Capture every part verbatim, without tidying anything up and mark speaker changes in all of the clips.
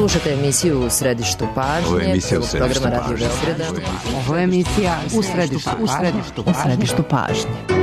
Speaker 1: Slušate emisiju U središtu pažnje.
Speaker 2: Ovo je emisija U središtu pažnje.
Speaker 3: Ovo je emisija U središtu pažnje. U središtu pažnje.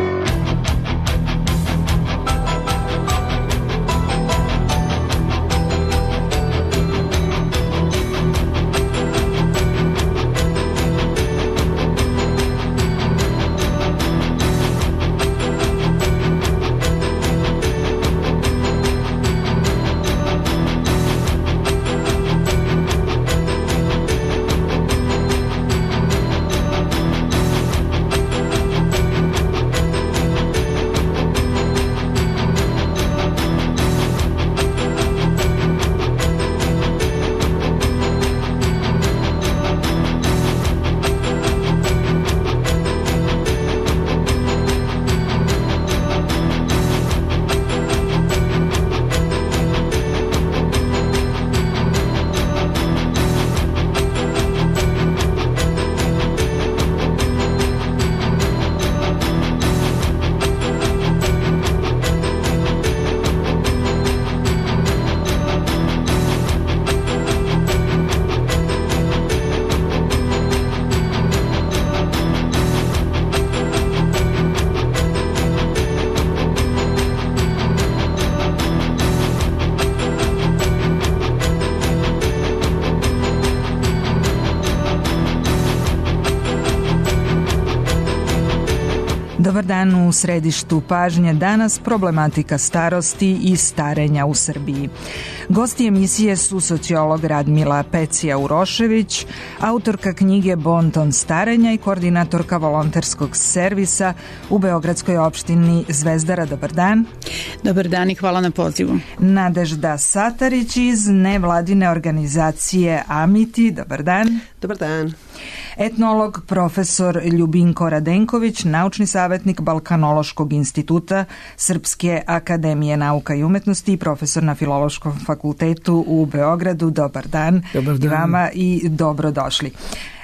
Speaker 4: Dobar dan, u središtu pažnje danas problematika starosti i starenja u Srbiji. Gosti emisije su sociolog Radmila Pecija-Urošević, autorka knjige Bonton starenja i koordinatorka volonterskog servisa u beogradskoj opštini Zvezdara. Dobar dan.
Speaker 5: Dobar dan i hvala na pozivu.
Speaker 4: Nadežda Satarić iz nevladine organizacije Amiti. Dobar dan.
Speaker 6: Dobar dan.
Speaker 4: Etnolog profesor Ljubinko Radenković, naučni savjetnik Balkanološkog instituta Srpske akademije nauka i umetnosti i profesor na Filološkom fakultetu u Beogradu. Dobar dan.
Speaker 6: Dobar dan.
Speaker 4: Vama i dobrodošli.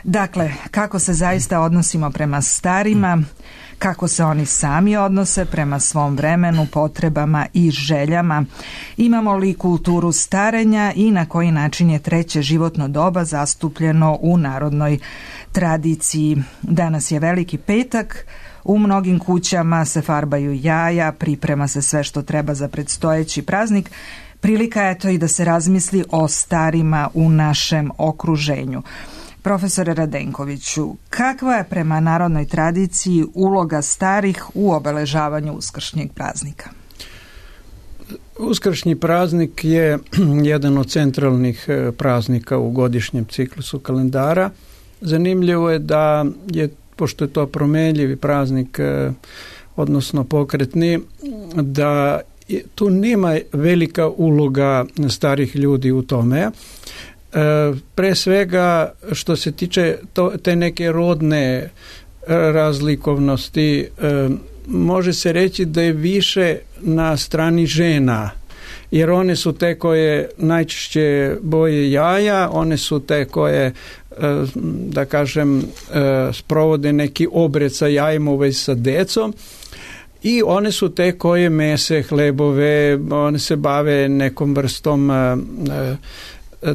Speaker 4: Dakle, kako se zaista odnosimo prema starima, kako se oni sami odnose prema svom vremenu, potrebama i željama, imamo li kulturu starenja i na koji način je treće životno doba zastupljeno u narodnoj tradiciji. Danas je Veliki petak, u mnogim kućama se farbaju jaja, priprema se sve što treba za predstojeći praznik. Prilika je to i da se razmisli o starima u našem okruženju. Profesore Radenkoviću, kakva je prema narodnoj tradiciji uloga starih u obeležavanju uskršnjeg praznika?
Speaker 7: Uskršnji praznik je jedan od centralnih praznika u godišnjem ciklusu kalendara. Zanimljivo je da je, pošto je to promenljivi praznik, odnosno pokretni, da tu nema velika uloga starih ljudi u tome. Pre svega što se tiče to, te neke rodne razlikovnosti, može se reći da je više na strani žena, jer one su te koje najčešće boje jaja, one su te koje, da kažem, sprovode neki obred sa jajima u vezi sa decom, i one su te koje mese hlebove, one se bave nekom vrstom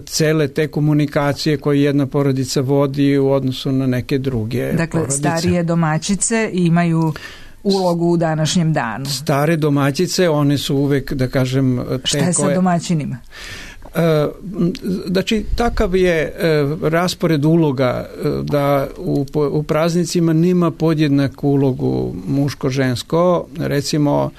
Speaker 7: cele te komunikacije koje jedna porodica vodi u odnosu na neke druge
Speaker 4: dakle,
Speaker 7: porodice.
Speaker 4: Starije domaćice imaju ulogu u današnjem danu.
Speaker 7: Stare domaćice, one su uvek, da kažem, te
Speaker 4: Šta je
Speaker 7: koje...
Speaker 4: sa domaćinima?
Speaker 7: Znači, takav je raspored uloga da u, u praznicima nema podjednaku ulogu muško-žensko. Recimo,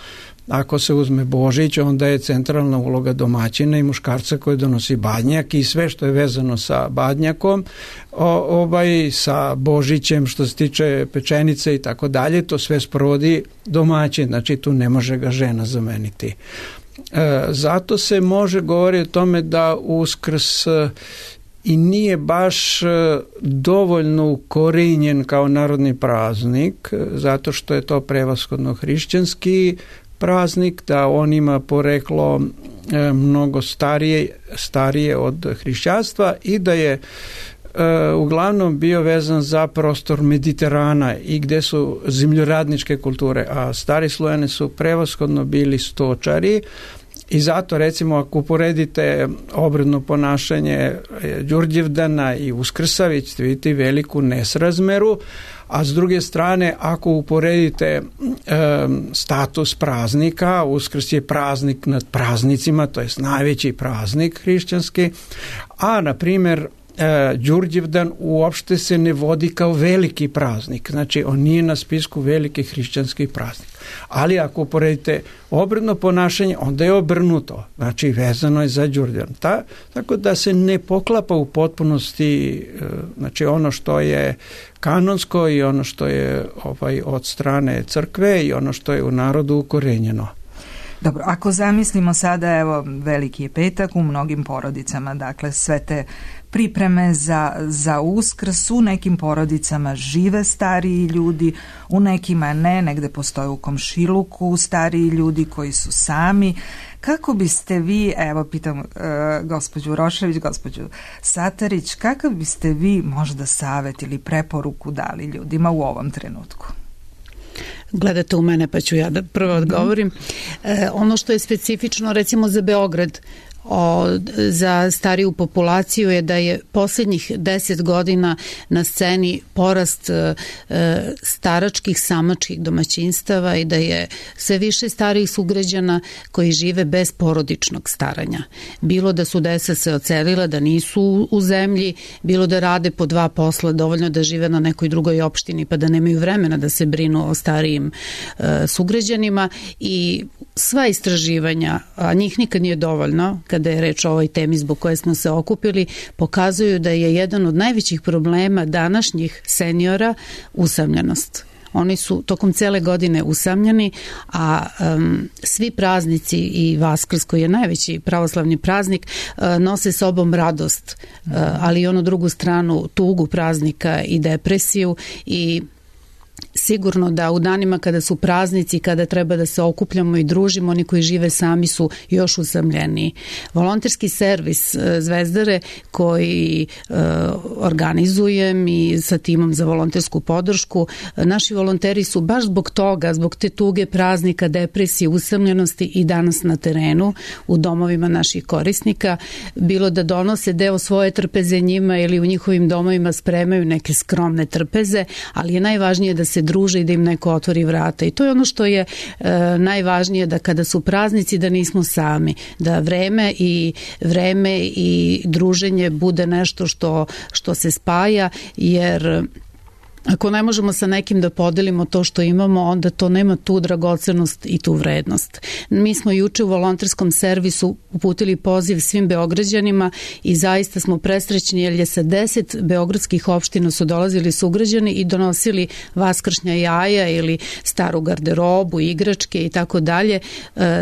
Speaker 7: ako se uzme Božić, onda je centralna uloga domaćina i muškarca koji donosi badnjak i sve što je vezano sa badnjakom, o, ovaj, sa Božićem što se tiče pečenice i tako dalje, to sve sprovodi domaćin, znači tu ne može ga žena zameniti. E, zato se može govoriti o tome da Uskrs i nije baš dovoljno ukorenjen kao narodni praznik, zato što je to prevashodno hrišćanski praznik, da on ima poreklo e, mnogo starije, starije od hrišćanstva i da je e, uglavnom bio vezan za prostor Mediterana i gde su zemljoradničke kulture, a stari Slojani su prevashodno bili stočari, I zato recimo ako uporedite obredno ponašanje Đurđevdana i Uskrsa, vi ćete vidjeti veliku nesrazmeru, a s druge strane ako uporedite e, status praznika, Uskrs je praznik nad praznicima, to je najveći praznik hrišćanski, a na primjer Đurđevdan uopšte se ne vodi kao veliki praznik, znači on nije na spisku velikih hrišćanskih praznika. Ali ako uporedite obredno ponašanje, onda je obrnuto, znači vezano je za Đurđevdan. Ta, tako da se ne poklapa u potpunosti, znači ono što je kanonsko i ono što je ovaj, od strane crkve i ono što je u narodu ukorenjeno.
Speaker 4: Dobro, ako zamislimo sada, evo, veliki je petak u mnogim porodicama, dakle sve te pripreme za, za Uskrs, u nekim porodicama žive stariji ljudi, u nekima ne, negde postoje u komšiluku stariji ljudi koji su sami. Kako biste vi, evo pitam uh, gospođu Rošević, gospođu Satarić, kakav biste vi možda savet ili preporuku dali ljudima u ovom trenutku?
Speaker 5: Gledate u mene pa ću ja da prvo odgovorim. E, ono što je specifično recimo za Beograd, O, za stariju populaciju je da je posljednjih deset godina na sceni porast e, staračkih samačkih domaćinstava i da je sve više starijih sugrađana koji žive bez porodičnog staranja. Bilo da su deca se ocelila, da nisu u zemlji, bilo da rade po dva posla, dovoljno da žive na nekoj drugoj opštini pa da nemaju vremena da se brinu o starijim e, sugrađanima i sva istraživanja, a njih nikad nije dovoljno, kada je reč o ovoj temi zbog koje smo se okupili, pokazuju da je jedan od najvećih problema današnjih seniora usamljenost. Oni su tokom cele godine usamljeni, a um, svi praznici i Vaskrs, koji je najveći pravoslavni praznik, uh, nose sobom radost, uh, ali i onu drugu stranu, tugu praznika i depresiju i sigurno da u danima kada su praznici, kada treba da se okupljamo i družimo, oni koji žive sami su još usamljeniji. Volonterski servis Zvezdare koji e, organizujem i sa timom za volontersku podršku, naši volonteri su baš zbog toga, zbog te tuge praznika, depresije, usamljenosti i danas na terenu u domovima naših korisnika, bilo da donose deo svoje trpeze njima ili u njihovim domovima spremaju neke skromne trpeze, ali je najvažnije da se druže i da im neko otvori vrata. I to je ono što je e, najvažnije, da kada su praznici da nismo sami, da vreme i vreme i druženje bude nešto što, što se spaja, jer ako ne možemo sa nekim da podelimo to što imamo, onda to nema tu dragocenost i tu vrednost. Mi smo juče u volonterskom servisu uputili poziv svim Beograđanima i zaista smo presrećni jer je sa deset beogradskih opština su dolazili sugrađani i donosili vaskršnja jaja ili staru garderobu, igračke i tako dalje.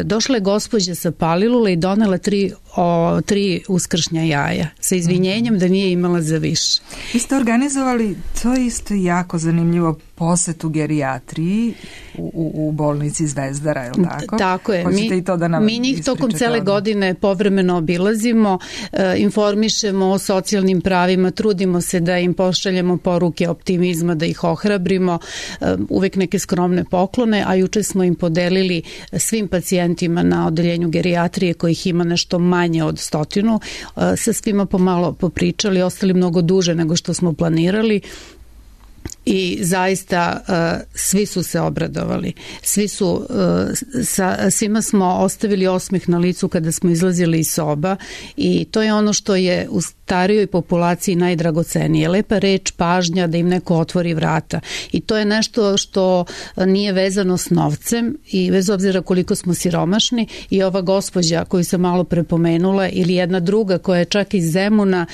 Speaker 5: Došla je gospođa sa Palilule i donela tri o tri uskršnja jaja sa izvinjenjem da nije imala za više.
Speaker 4: Vi ste organizovali, to je isto jako zanimljivo, posetu gerijatriji u, u, u bolnici Zvezdara, je li tako?
Speaker 5: Tako je.
Speaker 4: Mi, i to da nam
Speaker 5: mi njih tokom cele odmah. godine povremeno obilazimo, e, informišemo o socijalnim pravima, trudimo se da im pošaljemo poruke optimizma, da ih ohrabrimo, e, uvek neke skromne poklone, a juče smo im podelili svim pacijentima na odeljenju gerijatrije kojih ima nešto manje od stotinu, e, sa svima pomalo popričali, ostali mnogo duže nego što smo planirali. I zaista uh, svi su se obradovali. Svi su, uh, sa, svima smo ostavili osmeh na licu kada smo izlazili iz soba i to je ono što je u starijoj populaciji najdragocenije. Lepa reč, pažnja, da im neko otvori vrata. I to je nešto što nije vezano s novcem i bez obzira koliko smo siromašni, i ova gospođa koju sam malo prepomenula ili jedna druga koja je čak iz Zemuna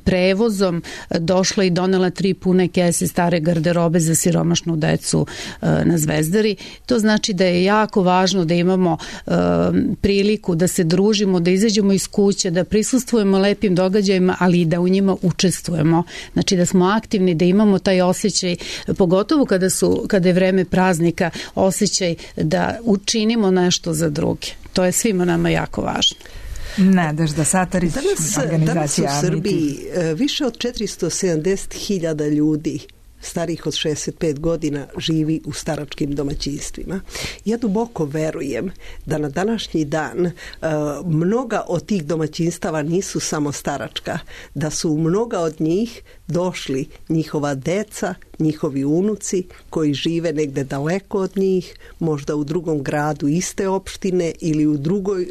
Speaker 5: prevozom došla i donela tri pune kese stare garderobe za siromašnu decu na Zvezdari. To znači da je jako važno da imamo uh, priliku da se družimo, da izađemo iz kuće, da prisustvujemo lepim događajima, ali i da u njima učestvujemo. Znači da smo aktivni, da imamo taj osjećaj, pogotovo kada, su, kada je vreme praznika, osjećaj da učinimo nešto za druge. To je svima nama jako važno.
Speaker 4: Nadežda Satarić,
Speaker 2: danas,
Speaker 4: organizacija
Speaker 2: danas u Srbiji više od četiristo sedamdeset hiljada ljudi starijih od šezdeset pet godina živi u staračkim domaćinstvima. Ja duboko verujem da na današnji dan uh, mnoga od tih domaćinstava nisu samo staračka, da su mnoga od njih došli njihova deca, njihovi unuci koji žive negde daleko od njih, možda u drugom gradu iste opštine ili u drugoj, uh,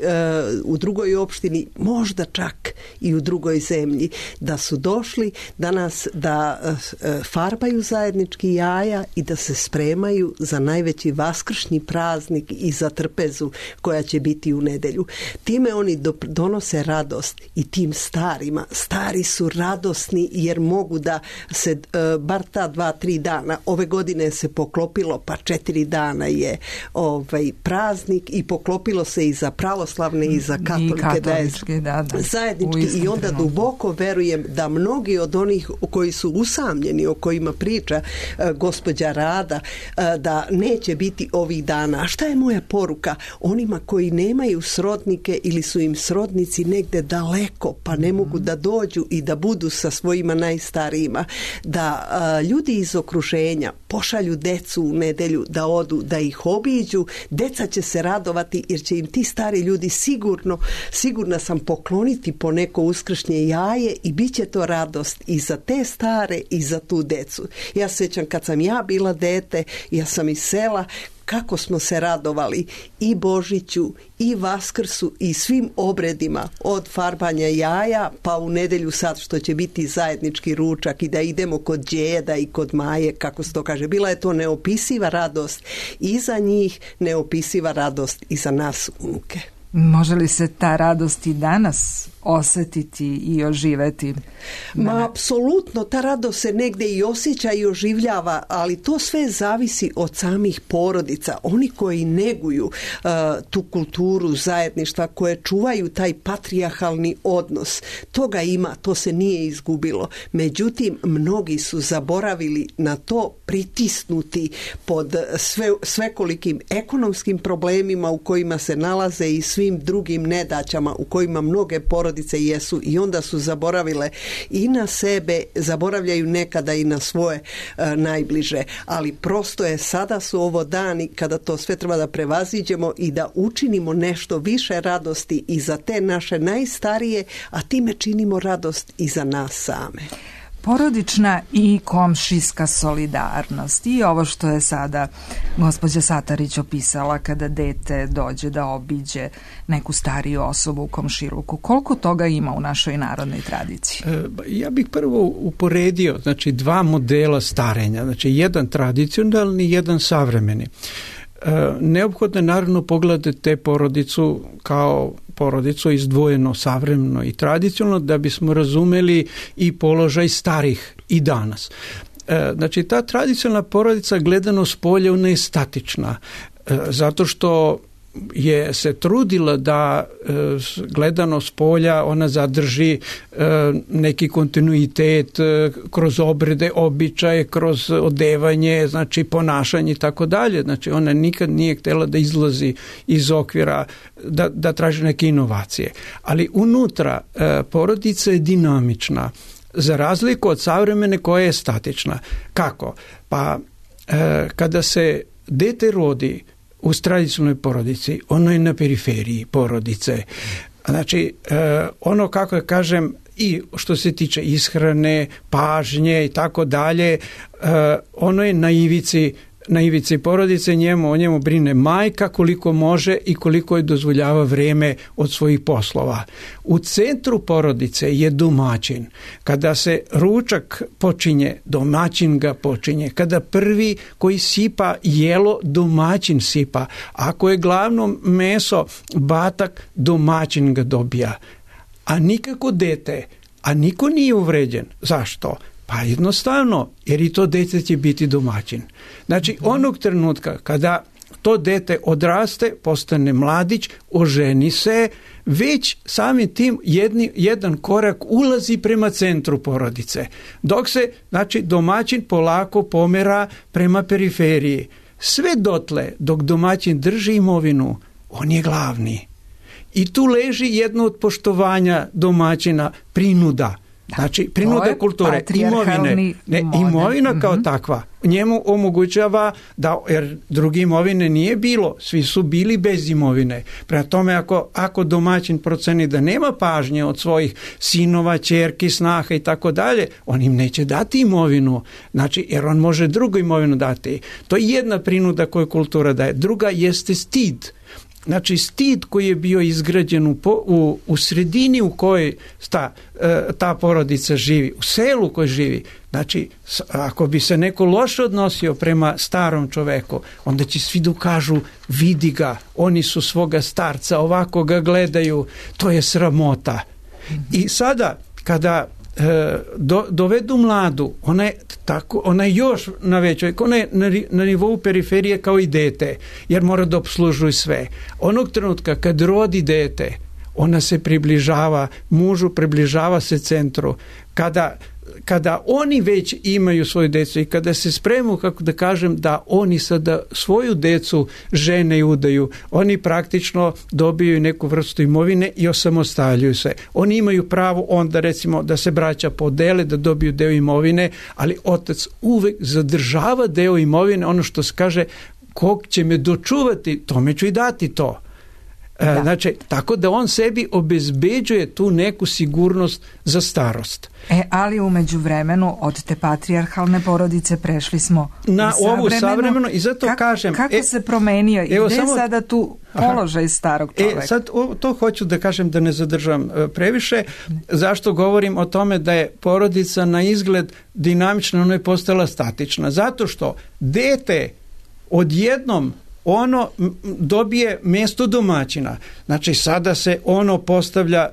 Speaker 2: u drugoj opštini, možda čak i u drugoj zemlji, da su došli danas da uh, farbaju zajednički jaja i da se spremaju za najveći vaskršnji praznik i za trpezu koja će biti u nedelju. Time oni donose radost i tim starima. Stari su radosni jer mogu da se uh, bar ta dva, tri dana, ove godine se poklopilo pa četiri dana je ovaj praznik i poklopilo se i za pravoslavne i za katolike, da je
Speaker 4: da, da.
Speaker 2: zajednički i onda duboko verujem da mnogi od onih koji su usamljeni, o kojima priča uh, gospođa Rada, uh, da neće biti ovih dana. A šta je moja poruka onima koji nemaju srodnike ili su im srodnici negde daleko pa ne mogu da dođu i da budu sa svojima najstarijima, da uh, ljudi iz okruženja pošalju decu u nedelju da odu, da ih obiđu, deca će se radovati jer će im ti stari ljudi sigurno, sigurna sam, pokloniti po neko uskršnje jaje i bit će to radost i za te stare i za tu decu. Ja se sjećam kad sam ja bila dete, ja sam iz sela, kako smo se radovali i Božiću i Vaskrsu i svim obredima od farbanja jaja pa u nedelju sad što će biti zajednički ručak i da idemo kod djeda i kod Maje, kako se to kaže. Bila je to neopisiva radost i za njih, neopisiva radost i za nas unuke.
Speaker 4: Može li se ta radost i danas osjetiti i oživeti?
Speaker 2: Ma, apsolutno, ta radost se negde i osjeća i oživljava, ali to sve zavisi od samih porodica. Oni koji neguju uh, tu kulturu zajedništva, koje čuvaju taj patrijarhalni odnos, toga ima, to se nije izgubilo. Međutim, mnogi su zaboravili na to, pritisnuti pod sve, svekolikim ekonomskim problemima u kojima se nalaze i svim drugim nedaćama u kojima mnoge porodice jesu i onda su zaboravile i na sebe, zaboravljaju nekada i na svoje e, najbliže, ali prosto je, sada su ovo dani kada to sve treba da prevaziđemo i da učinimo nešto više radosti i za te naše najstarije, a time činimo radost i za nas same.
Speaker 4: Porodična i komšijska solidarnost i ovo što je sada gospođa Satarić opisala kada dete dođe da obiđe neku stariju osobu u komšiluku. Koliko toga ima u našoj narodnoj tradiciji?
Speaker 7: Ja bih prvo uporedio, znači, dva modela starenja, znači jedan tradicionalni, jedan savremeni. Neophodno je naravno pogledati te porodicu kao porodicu izdvojeno savremeno i tradicionalno da bismo razumeli i položaj starih i danas. Znači, ta tradicionalna porodica gledano s polja ona je statična, zato što je se trudila da e, gledano s polja ona zadrži e, neki kontinuitet e, kroz obrede, običaje, kroz odevanje, znači ponašanje i tako dalje. Znači, ona nikad nije htjela da izlazi iz okvira, da, da traži neke inovacije. Ali unutra e, porodica je dinamična, za razliku od savremene koja je statična. Kako? Pa e, kada se dete rodi u tradicionalnoj porodici, ono je na periferiji porodice. Znači, eh, ono, kako ja kažem, i što se tiče ishrane, pažnje i tako dalje, eh, ono je na ivici, na ivici porodice, njemu, o njemu brine majka koliko može i koliko je dozvoljava vrijeme od svojih poslova. U centru porodice je domaćin. Kada se ručak počinje, domaćin ga počinje. Kada prvi koji sipa jelo, domaćin sipa. Ako je glavno meso batak, domaćin ga dobija. A nikako dete, a niko nije uvređen. Zašto? Pa jednostavno, jer i to dete će biti domaćin. Znači, onog trenutka kada to dete odraste, postane mladić, oženi se, već samim tim jedni, jedan korak ulazi prema centru porodice. Dok se, znači, domaćin polako pomera prema periferiji. Sve dotle, dok domaćin drži imovinu, on je glavni. I tu leži jedno od poštovanja domaćina, prinuda. Znači, prinuda kulture, imovine, ne, imovina kao mm-hmm. takva, njemu omogućava da, jer druge imovine nije bilo, svi su bili bez imovine. Prema tome, ako, ako domaćin proceni da nema pažnje od svojih sinova, ćerki, snaha i tako dalje, on im neće dati imovinu, znači, jer on može drugu imovinu dati. To je jedna prinuda koju kultura daje. Druga jeste stid. Znači, stid koji je bio izgrađen u, u, u sredini u kojoj ta, ta porodica živi, u selu u kojoj živi. Znači, ako bi se neko loše odnosio prema starom čoveku, onda će svi da kažu, vidi ga, oni su svoga starca, ovako ga gledaju, to je sramota. I sada, kada Do, dovedu mladu, ona je, tako, ona je još na većoj, ona je na, na nivou periferije kao i dete, jer mora da opslužuje sve. Onog trenutka kad rodi dete, ona se približava mužu, približava se centru. Kada kada oni već imaju svoju decu i kada se spremu, kako da kažem, da oni sada svoju decu žene i udaju, oni praktično dobiju neku vrstu imovine i osamostaljuju se. Oni imaju pravo onda, recimo, da se braća podele, da dobiju deo imovine, ali otac uvek zadržava deo imovine, ono što se kaže, kog će me dočuvati, tome ću i dati to. Da. Znači, tako da on sebi obezbeđuje tu neku sigurnost za starost.
Speaker 4: E, ali u međuvremenu od te patrijarhalne porodice prešli smo
Speaker 7: na ovu savremenu i zato
Speaker 4: Ka,
Speaker 7: kažem...
Speaker 4: Kako
Speaker 7: e,
Speaker 4: se promenio i gde je sada tu položaj aha, starog čoveka?
Speaker 7: E, sad o, to hoću da kažem da ne zadržam e, previše. Zašto govorim o tome da je porodica na izgled dinamična, ona je postala statična? Zato što dete odjednom ono dobije mjesto domaćina. Znači, sada se ono postavlja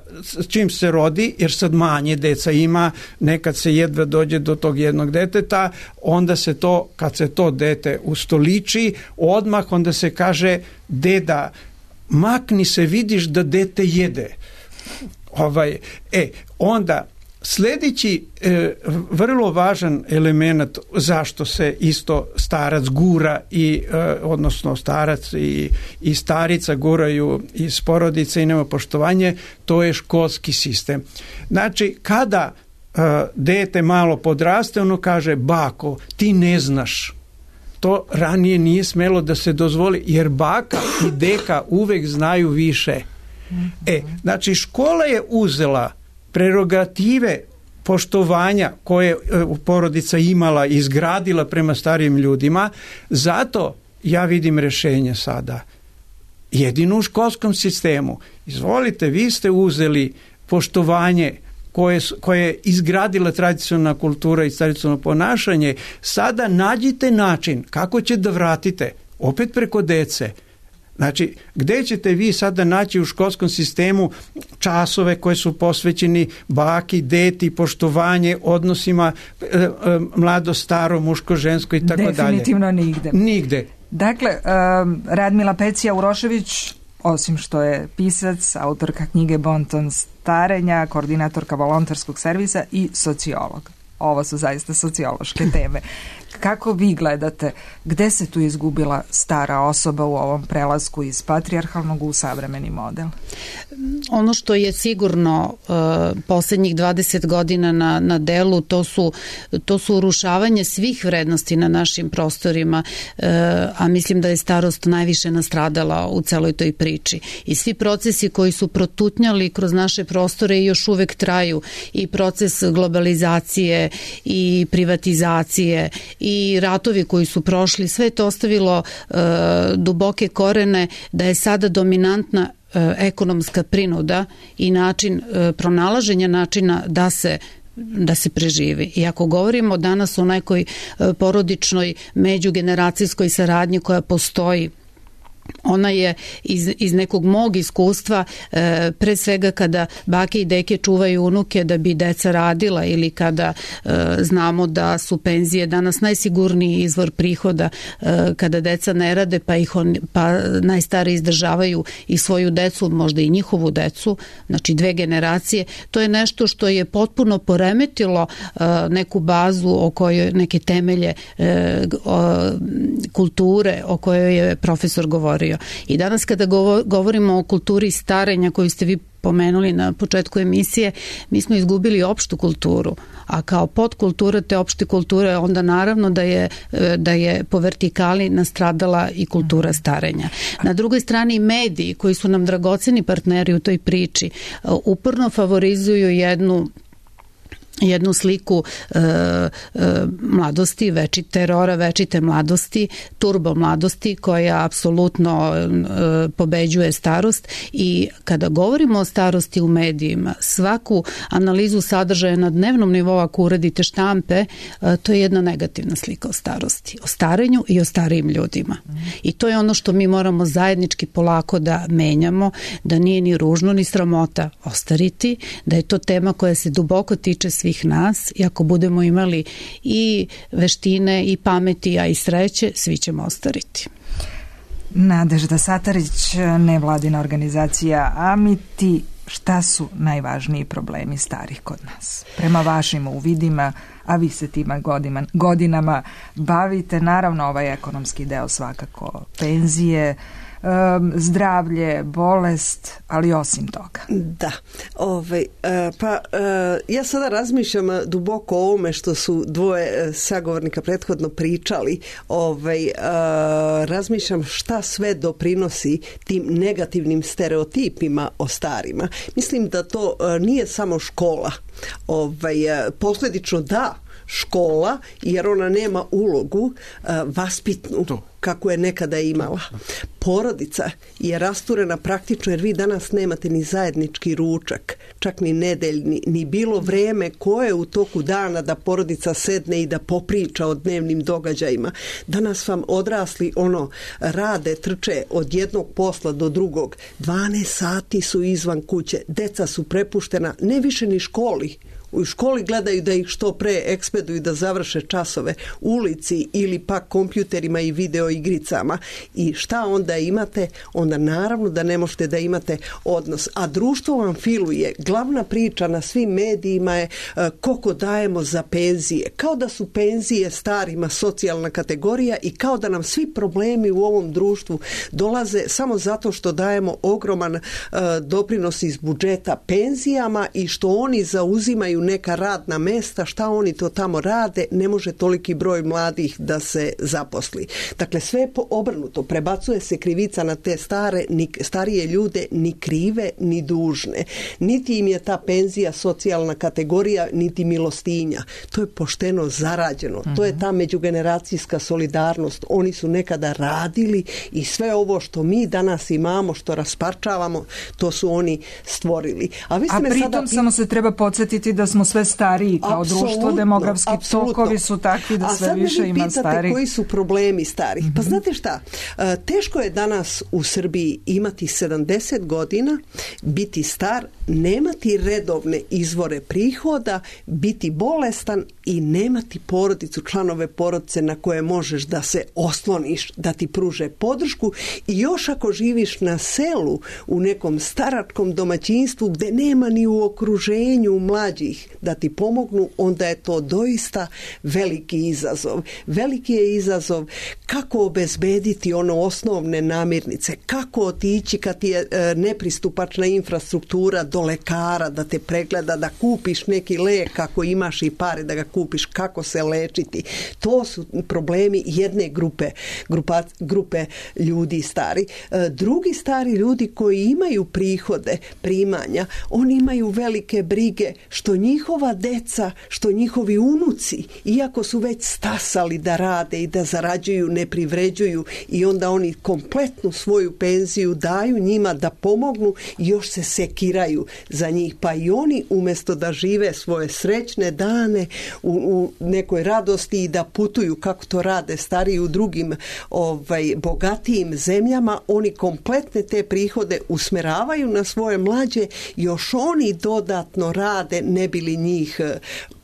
Speaker 7: čim se rodi, jer sad manje deca ima, nekad se jedva dođe do tog jednog deteta, onda se to, kad se to dete ustoliči, odmah onda se kaže, deda, makni se, vidiš da dete jede. Ovaj, e, onda sljedeći e, vrlo važan element zašto se isto starac gura i e, odnosno starac i, i starica guraju iz porodice i nema poštovanje, to je školski sistem. Znači, kada e, dete malo podraste, ono kaže, bako, ti ne znaš. To ranije nije smelo da se dozvoli, jer baka i deka uvek znaju više. E, znači, škola je uzela prerogative poštovanja koje porodica imala i izgradila prema starijim ljudima, zato ja vidim rješenje sada. Jedino u školskom sistemu. Izvolite, vi ste uzeli poštovanje koje, koje je izgradila tradicionalna kultura i tradicionalno ponašanje, sada nađite način kako će da vratite, opet preko dece. Znači, gdje ćete vi sada naći u školskom sistemu časove koje su posvećeni baki, deti, poštovanje, odnosima e, e, mlado, staro, muško, žensko i tako dalje?
Speaker 4: Definitivno nigde.
Speaker 7: Nigde.
Speaker 4: Dakle, um, Radmila Pecija-Urošević, osim što je pisac, autorka knjige Bonton starenja, koordinatorka volonterskog servisa i sociolog. Ovo su zaista sociološke teme. Kako vi gledate, gde se tu izgubila stara osoba u ovom prelasku iz patrijarhalnog u savremeni model?
Speaker 5: Ono što je sigurno uh, posljednjih dvadeset godina na, na delu, to su, to su urušavanje svih vrednosti na našim prostorima, uh, a mislim da je starost najviše nastradala u celoj toj priči. I svi procesi koji su protutnjali kroz naše prostore i još uvek traju, i proces globalizacije i privatizacije i ratovi koji su prošli, sve je to ostavilo uh, duboke korene da je sada dominantna uh, ekonomska prinuda i način uh, pronalaženja načina da se da se preživi. I ako govorimo danas o nekoj uh, porodičnoj međugeneracijskoj saradnji koja postoji, ona je iz, iz nekog mog iskustva, e, pre svega kada bake i deke čuvaju unuke da bi deca radila, ili kada e, znamo da su penzije danas najsigurniji izvor prihoda, e, kada deca ne rade pa ih on, pa najstariji izdržavaju i svoju decu, možda i njihovu decu, znači dve generacije, to je nešto što je potpuno poremetilo e, neku bazu o kojoj, neke temelje e, o, kulture o kojoj je profesor govorio. I danas kada govorimo o kulturi starenja koju ste vi pomenuli na početku emisije, mi smo izgubili opštu kulturu, a kao podkultura te opšte kulture onda naravno da je, da je po vertikali nastradala i kultura starenja. Na drugoj strani mediji koji su nam dragoceni partneri u toj priči uporno favorizuju jednu jednu sliku e, e, mladosti, veći terora, večite mladosti, turbo mladosti koja apsolutno e, pobeđuje starost i kada govorimo o starosti u medijima, svaku analizu sadržaja na dnevnom nivou ako uradite štampe, e, to je jedna negativna slika o starosti, o starenju i o starijim ljudima. I to je ono što mi moramo zajednički polako da menjamo, da nije ni ružno ni sramota ostariti, da je to tema koja se duboko tiče svih nas i ako budemo imali i veštine i pameti, a i sreće, svi ćemo ostariti.
Speaker 4: Nadežda Satarić, nevladina organizacija Amiti, šta su najvažniji problemi starih kod nas? Prema vašim uvidima, a vi se tima godima, godinama bavite, naravno ovaj ekonomski deo svakako, penzije, Um, zdravlje, bolest, ali osim toga.
Speaker 2: Da, ovaj, uh, pa uh, ja sada razmišljam duboko o ovome što su dvoje sagovornika prethodno pričali, ovaj, uh, razmišljam šta sve doprinosi tim negativnim stereotipima o starima. Mislim da to uh, nije samo škola, ovaj, uh, posljedično da, škola, jer ona nema ulogu uh, vaspitnu kako je nekada imala. Porodica je rasturena praktično jer vi danas nemate ni zajednički ručak, čak ni nedeljni, ni bilo vreme koje u toku dana da porodica sedne i da popriča o dnevnim događajima. Danas vam odrasli ono rade, trče od jednog posla do drugog. dvanaest sati su izvan kuće, deca su prepuštena ne više ni školi. U školi gledaju da ih što pre ekspeduju da završe časove, ulici ili pak kompjuterima i video igricama. I šta onda imate? Onda naravno da ne možete da imate odnos. A društvo vam filuje. Glavna priča na svim medijima je uh, koliko dajemo za penzije. Kao da su penzije starima socijalna kategorija i kao da nam svi problemi u ovom društvu dolaze samo zato što dajemo ogroman uh, doprinos iz budžeta penzijama i što oni zauzimaju neka radna mesta, šta oni to tamo rade, ne može toliki broj mladih da se zaposli. Dakle, sve je obrnuto. Prebacuje se krivica na te stare, ni, starije ljude, ni krive, ni dužne. Niti im je ta penzija socijalna kategorija, niti milostinja. To je pošteno zarađeno. Uh-huh. To je ta međugeneracijska solidarnost. Oni su nekada radili i sve ovo što mi danas imamo, što rasparčavamo, to su oni stvorili. A, vi ste
Speaker 4: A
Speaker 2: me
Speaker 4: pritom
Speaker 2: sada...
Speaker 4: samo se treba podsjetiti da smo sve stariji kao apsolutno, društvo, demografski
Speaker 2: apsolutno.
Speaker 4: tokovi su takvi da sve više ima starih. A sad me pitate koji
Speaker 2: su problemi starih. Mm-hmm. Pa znate šta, teško je danas u Srbiji imati sedamdeset godina, biti star, nemati redovne izvore prihoda, biti bolestan i nemati porodicu, članove porodice na koje možeš da se osloniš, da ti pruže podršku i još ako živiš na selu u nekom staračkom domaćinstvu gde nema ni u okruženju mlađih da ti pomognu, onda je to doista veliki izazov. Veliki je izazov kako obezbediti ono osnovne namirnice, kako otići kad ti je e, nepristupačna infrastruktura do lekara, da te pregleda, da kupiš neki lek ako imaš i pare da ga kupiš, kako se lečiti. To su problemi jedne grupe, grupa, grupe ljudi stari. E, drugi stari ljudi koji imaju prihode, primanja, oni imaju velike brige što njihova deca, što njihovi unuci, iako su već stasali da rade i da zarađuju, ne privređuju i onda oni kompletnu svoju penziju daju njima da pomognu i još se sekiraju za njih. Pa i oni umjesto da žive svoje srećne dane u, u nekoj radosti i da putuju kako to rade stariji u drugim ovaj, bogatijim zemljama, oni kompletne te prihode usmeravaju na svoje mlađe, još oni dodatno rade ne bi li njih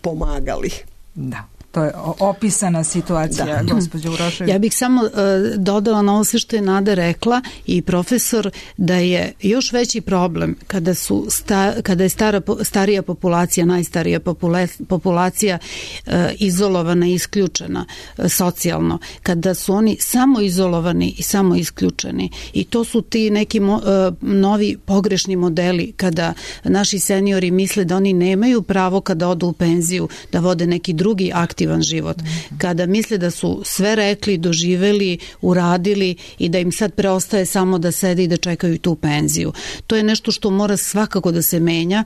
Speaker 2: pomagali.
Speaker 4: Da. To je opisana situacija, da. Gospođa Urošević.
Speaker 5: Ja bih samo uh, dodala na ovo sve što je Nada rekla i profesor, da je još veći problem kada su sta, kada je stara, starija populacija, najstarija popula, populacija uh, izolovana i isključena uh, socijalno, kada su oni samo izolovani i samo isključeni. I to su ti neki mo, uh, novi pogrešni modeli kada naši seniori misle da oni nemaju pravo kada odu u penziju da vode neki drugi aktivan život. Kada misle da su sve rekli, doživeli, uradili i da im sad preostaje samo da sede i da čekaju tu penziju. To je nešto što mora svakako da se menja.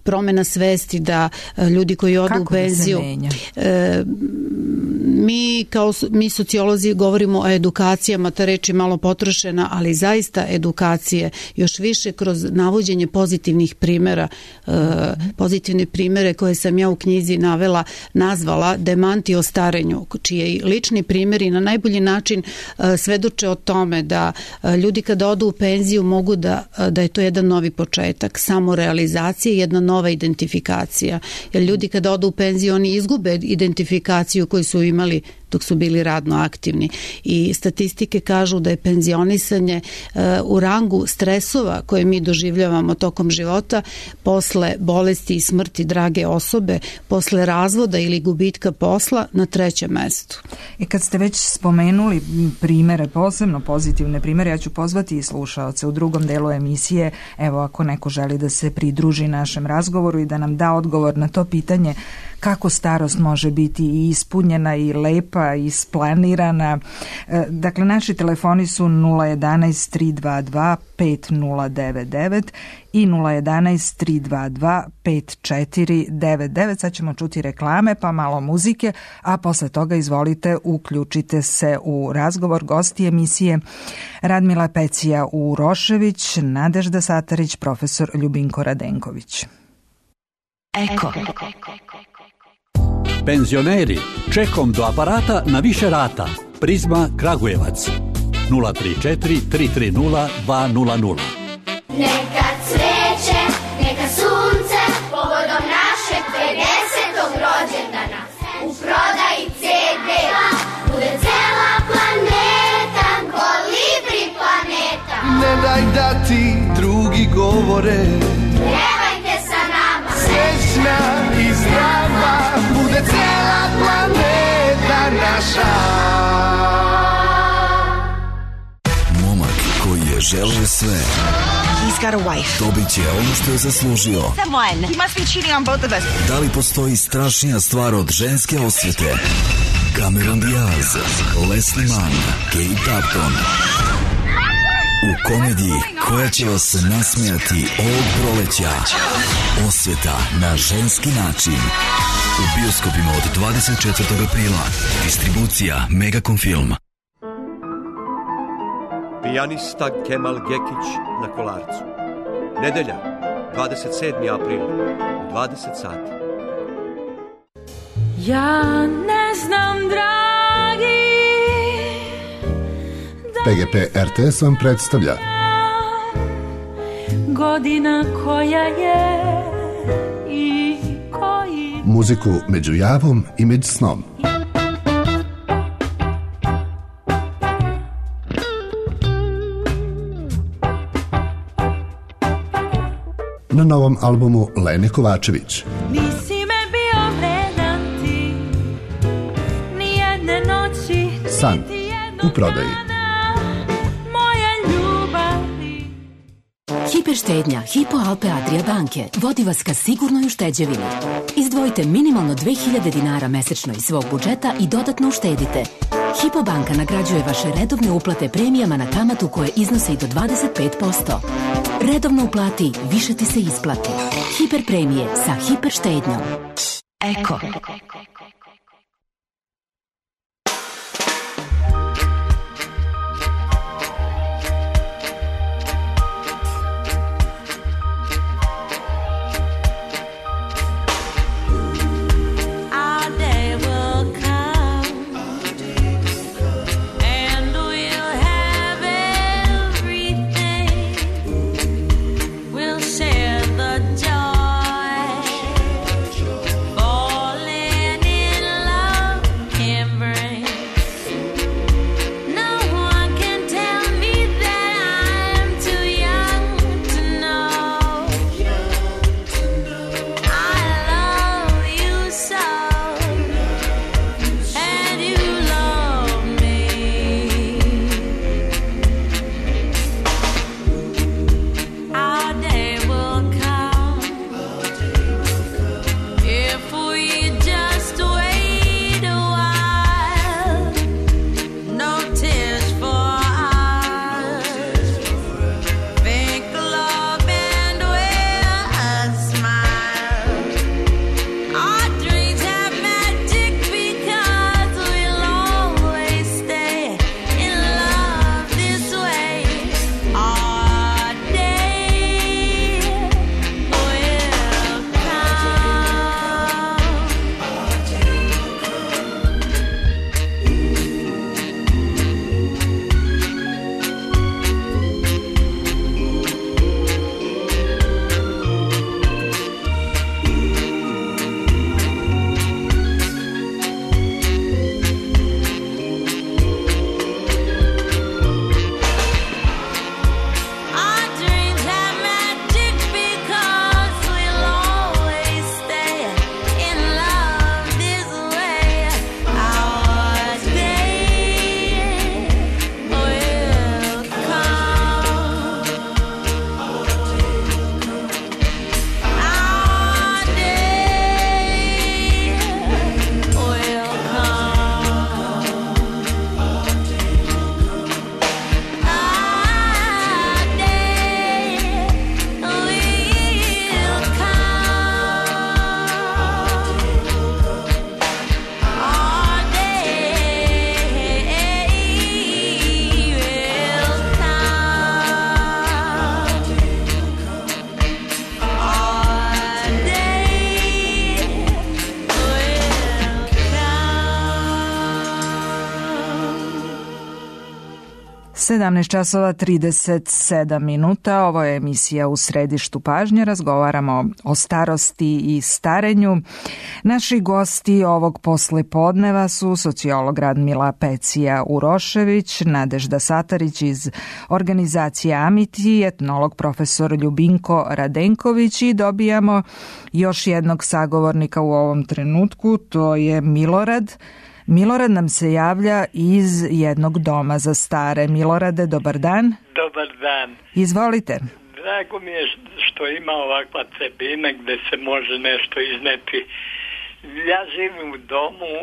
Speaker 5: Promena svesti da ljudi koji odu
Speaker 4: Kako
Speaker 5: u penziju e, mi kao mi sociolozi govorimo o edukacijama, ta reč je malo potrošena, ali zaista edukacije još više kroz navođenje pozitivnih primera, e, pozitivne primere koje sam ja u knjizi navela, nazvala demanti o starenju, čiji lični primjeri na najbolji način e, svedoče o tome da e, ljudi kada odu u penziju mogu da, da je to jedan novi početak, samorealizacije, jedna nova identifikacija. Jer ljudi kada odu u penziju, oni izgube identifikaciju koju su imali dok su bili radno aktivni. I statistike kažu da je penzionisanje uh, u rangu stresova koje mi doživljavamo tokom života, posle bolesti i smrti drage osobe, posle razvoda ili gubitka posla, na trećem mestu.
Speaker 4: I kad ste već spomenuli primere, posebno pozitivne primere, ja ću pozvati i slušaoce u drugom delu emisije, evo ako neko želi da se pridruži našem razgovoru i da nam da odgovor na to pitanje kako starost može biti i ispunjena i lepa i isplanirana. Dakle, naši telefoni su nula jedanaest tri dva dva pet nula devet devet i nula jedanaest tri dva dva pet četiri devet devet. Sad ćemo čuti reklame pa malo muzike, a posle toga izvolite uključite se u razgovor. Gosti emisije Radmila Pecija Urošević, Nadežda Satarić, profesor Ljubinko Radenković.
Speaker 3: Eko.
Speaker 6: Penzioneri, čekom do aparata na više rata. Prizma Kragujevac nula tri četiri tri tri nula dva nula nula.
Speaker 8: Neka cveće, neka sunce, povodom našeg pedesetog rođendana. U prodaji ce de bude cela planeta, Kolibri planeta.
Speaker 9: Ne daj da ti drugi govore,
Speaker 8: pjevajte sa nama.
Speaker 9: Srećna i zdrava bude cela planeta naša.
Speaker 10: Momak koji je želeo sve,
Speaker 11: He's got a wife.
Speaker 10: dobit će ono što je zaslužio.
Speaker 11: Someone. He must be cheating on both of us.
Speaker 10: Da li postoji strašnija stvar od ženske osvete? Cameron Diaz, Leslie Mann, Kate Upton. U komediji koja će vas nasmijati ovog proleća. Osveta na ženski način. U bioskopima od dvadeset četvrtog aprila. Distribucija Megacom Film.
Speaker 12: Pijanista Kemal Gekić na Kolarcu. Nedelja, dvadeset sedmi april, dvadeset sati.
Speaker 13: Ja ne znam, dragi,
Speaker 14: P G P R T S vam predstavlja
Speaker 13: godina koja je i koji
Speaker 14: muziku među javom i među snom. Na novom albumu Lene Kovačević.
Speaker 13: nisi me bio vredan ti, nijedne noći,
Speaker 14: San
Speaker 13: niti jednog
Speaker 14: u prodaji.
Speaker 13: dana moje ljubavi.
Speaker 15: Hiperštednja Hypo Alpe Adria banke vodi vas ka sigurnoj ušteđevini. Izdvojite minimalno dve hiljade dinara mesečno iz svog budžeta i dodatno uštedite. Hypo banka nagrađuje vaše redovne uplate premijama na kamatu koje iznose i do dvadeset pet posto. Redovno uplati, više ti se isplati. Hiper premije sa hiperštednjom. Eko.
Speaker 13: Share the joy, falling
Speaker 4: sedamnaest časova trideset sedam minuta, ovo je emisija U središtu pažnje, razgovaramo o starosti i starenju. Naši gosti ovog poslepodneva su sociolog Radmila Pecija Urošević, Nadežda Satarić iz organizacije Amiti, etnolog profesor Ljubinko Radenković i dobijamo još jednog sagovornika u ovom trenutku, to je Milorad. Milorad nam se javlja iz jednog doma za stare. Milorade, dobar dan.
Speaker 16: Dobar dan.
Speaker 4: Izvolite.
Speaker 16: Drago mi je što ima ovakva tribina gde se može nešto izneti. Ja živim u domu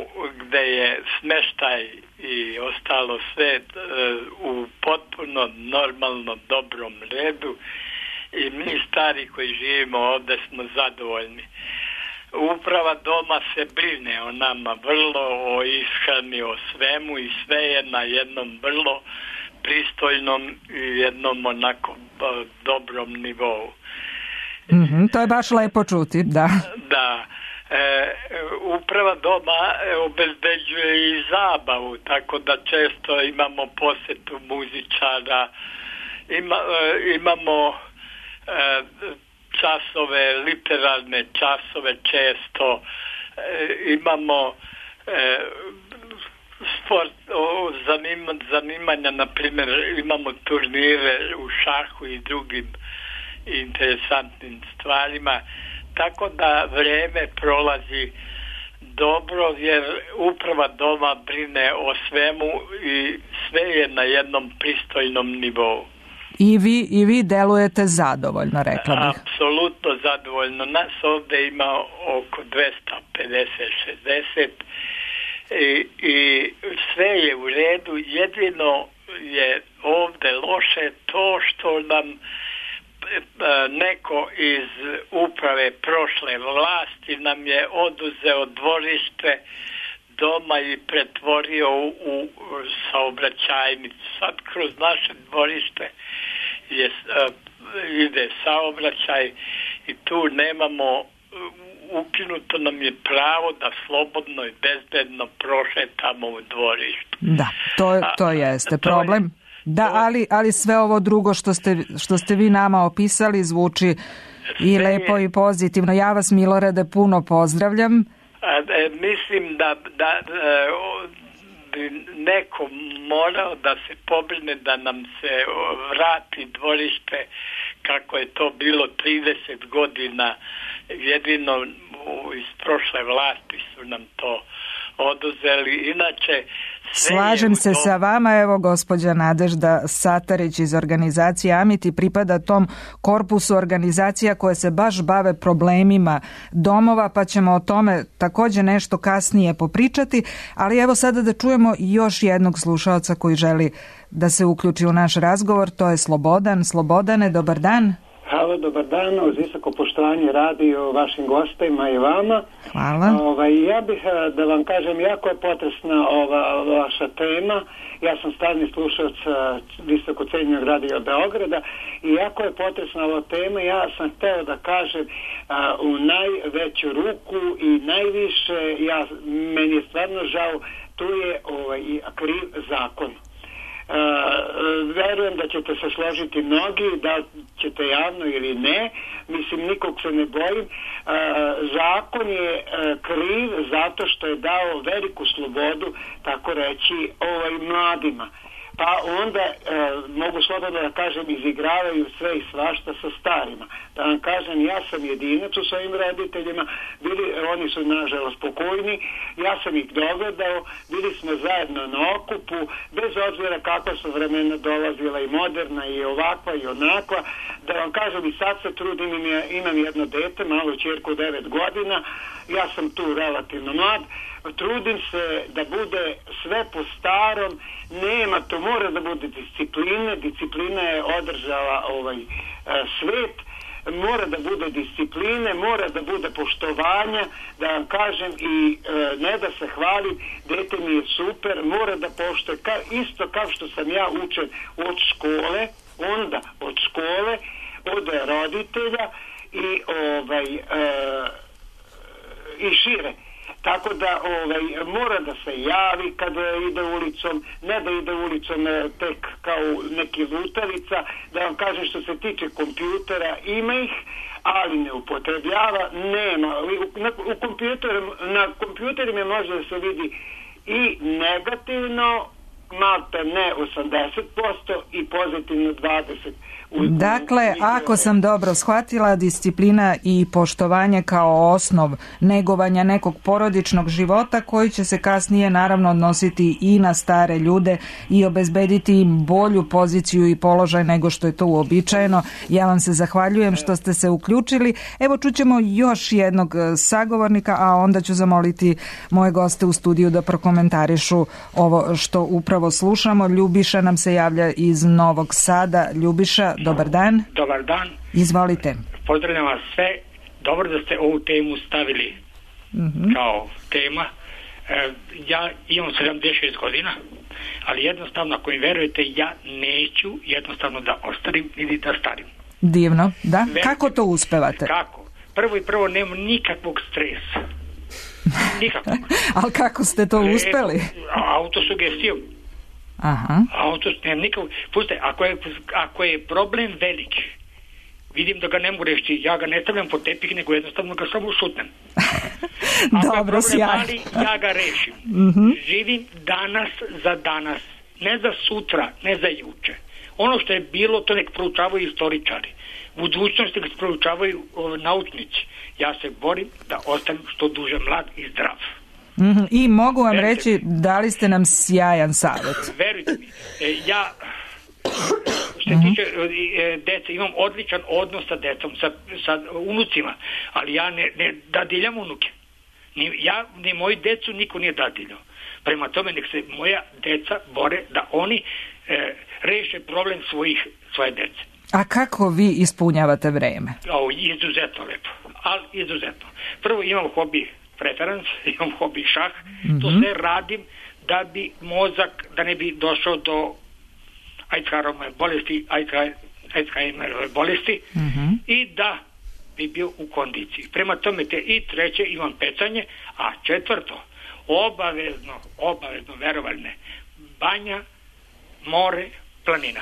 Speaker 16: gde je smeštaj i ostalo sve u potpuno normalno dobrom redu i mi stari koji živimo ovde smo zadovoljni. Uprava doma se brine o nama vrlo, o ishrani, o svemu i sve je na jednom vrlo pristojnom i jednom onako dobrom nivou.
Speaker 4: Mm-hmm, to je baš lepo čuti, da.
Speaker 16: Da. E, uprava doma obezbeđuje i zabavu, tako da često imamo posetu muzičara, ima, e, imamo e, časove, literarne časove često, e, imamo e, sport, o, zanima, zanimanja, na primjer imamo turnire u šahu i drugim interesantnim stvarima, tako da vreme prolazi dobro jer uprava doma brine o svemu i sve je na jednom pristojnom nivou.
Speaker 4: I vi, i vi delujete zadovoljno, rekla bih.
Speaker 16: Apsolutno zadovoljno. Nas ovdje ima oko dvesta pedeset šezdeset i, i sve je u redu. Jedino je ovdje loše to što nam neko iz uprave prošle vlasti nam je oduzeo dvorište doma i pretvorio u, u saobraćajnicu. Sad kroz naše dvorište je, uh, ide saobraćaj i tu nemamo, ukinuto nam je pravo da slobodno i bezbedno prošetamo u dvorištu.
Speaker 4: Da, to, to jeste problem. Je, da, ali, ali sve ovo drugo što ste, što ste vi nama opisali zvuči i lepo i pozitivno. Ja vas, Milorade, puno pozdravljam.
Speaker 16: A, e, mislim da, da e, bi neko morao da se pobrine da nam se vrati dvorište kako je to bilo trideset godina. Jedino iz prošle vlasti su nam to oduzeli. Inače,
Speaker 4: slažem se
Speaker 16: tom...
Speaker 4: sa vama, evo gospođa Nadežda Satarić iz organizacije Amiti pripada tom korpusu organizacija koje se baš bave problemima domova, pa ćemo o tome također nešto kasnije popričati, ali evo sada da čujemo još jednog slušaoca koji želi da se uključi u naš razgovor, to je Slobodan. Slobodane, dobar dan.
Speaker 17: Halo, dobar dan, uz visoko poštovanje radio vašim gostima i vama.
Speaker 4: Hvala.
Speaker 17: Ovaj, ja bih da vam kažem, jako je potresna ova vaša tema. Ja sam stalni slušalac visoko cenjenog radija Beograda i jako je potresna ova tema. Ja sam hteo da kažem a, u najveću ruku i najviše, ja, meni je stvarno žao, tu je ovaj, kriv zakon. Uh, verujem da ćete se složiti mnogi, da ćete javno ili ne, mislim nikog se ne bojim. Uh, zakon je uh, kriv zato što je dao veliku slobodu, tako reći, ovaj, mladima. Pa onda, e, mogu slobodno da kažem, izigravaju sve i svašta sa starima. Da vam kažem, ja sam jedinac u svojim roditeljima, bili, oni su nažalost pokojni, ja sam ih dogledao, bili smo zajedno na okupu, bez obzira kakva su vremena dolazila i moderna i ovakva i onakva. Da vam kažem, i sad se trudim, imam jedno dete, malu ćerku devet godina, ja sam tu relativno mlad, trudim se da bude sve po starom, nema, to mora da bude discipline, disciplina je održala ovaj svet, mora da bude discipline, mora da bude poštovanja, da vam kažem, i e, ne da se hvalim, dete mi je super, mora da poštuje, ka, isto kao što sam ja učen od škole, onda od škole, od roditelja i ovaj e, i šire. Tako da ovaj, mora da se javi kada ide ulicom, ne da ide ulicom tek kao neki lutavica. Da vam kažem, što se tiče kompjutera, ima ih, ali ne upotrebljava, nema. Na, u kompjuter, na kompjuterima može da se vidi i negativno, malte ne osamdeset posto i pozitivno dvadeset posto.
Speaker 4: Dakle, ako sam dobro shvatila, disciplina i poštovanje kao osnov negovanja nekog porodičnog života koji će se kasnije naravno odnositi i na stare ljude i obezbediti im bolju poziciju i položaj nego što je to uobičajeno. Ja vam se zahvaljujem što ste se uključili. Evo, čućemo još jednog sagovornika, a onda ću zamoliti moje goste u studiju da prokomentarišu ovo što upravo slušamo. Ljubiša nam se javlja iz Novog Sada. Ljubiša, dobar dan.
Speaker 18: Dobar dan.
Speaker 4: Izvolite.
Speaker 18: Pozdravljam vas sve. Dobro da ste ovu temu stavili mm-hmm. kao tema. E, ja imam sedamdeset šest godina, ali jednostavno, ako mi verujete, ja neću jednostavno da ostarim ili da starim.
Speaker 4: Divno, da?
Speaker 18: Verujte,
Speaker 4: kako to uspevate?
Speaker 18: Kako? Prvo i prvo nemam nikakvog stresa. Nikakvog.
Speaker 4: Ali kako ste to uspeli?
Speaker 18: Autosugestijom.
Speaker 4: Aha.
Speaker 18: Auto, nemam nikakvog. Pustite, ako je, ako je problem velik, vidim da ga ne mogu rešiti, ja ga ne stavljam po tepih, nego jednostavno ga samo šutnem.
Speaker 4: Dobro, sjajno.
Speaker 18: Mali, ja ga rešim.
Speaker 4: Mm-hmm.
Speaker 18: Živim danas za danas, ne za sutra, ne za juče. Ono što je bilo, to nek proučavaju istoričari. Budućnosti nek proučavaju o, naučnici. Ja se borim da ostanem što duže mlad i zdrav.
Speaker 4: Mm-hmm. I mogu vam Verujte reći, mi. dali ste nam sjajan savjet.
Speaker 18: Verujte mi, e, ja što se tiče e, dece, imam odličan odnos sa decom, sa, sa unucima, ali ja ne, ne dadiljam unuke. Ni, ja, ni moji decu niko nije dadiljao. Prema tome, nek se moja deca bore da oni e, reše problem svojih, svoje dece.
Speaker 4: A kako vi ispunjavate vreme?
Speaker 18: O, izuzetno lepo, ali izuzetno. Prvo imam hobi preference, imam hobi šah, mm-hmm. to sve radim da bi mozak, da ne bi došao do Alzheimerove bolesti, Alzheimerove bolesti mm-hmm. i da bi bio u kondiciji. Prema tome te i treće imam pecanje, a četvrto, obavezno, obavezno, verovaljne, banja, more, planina.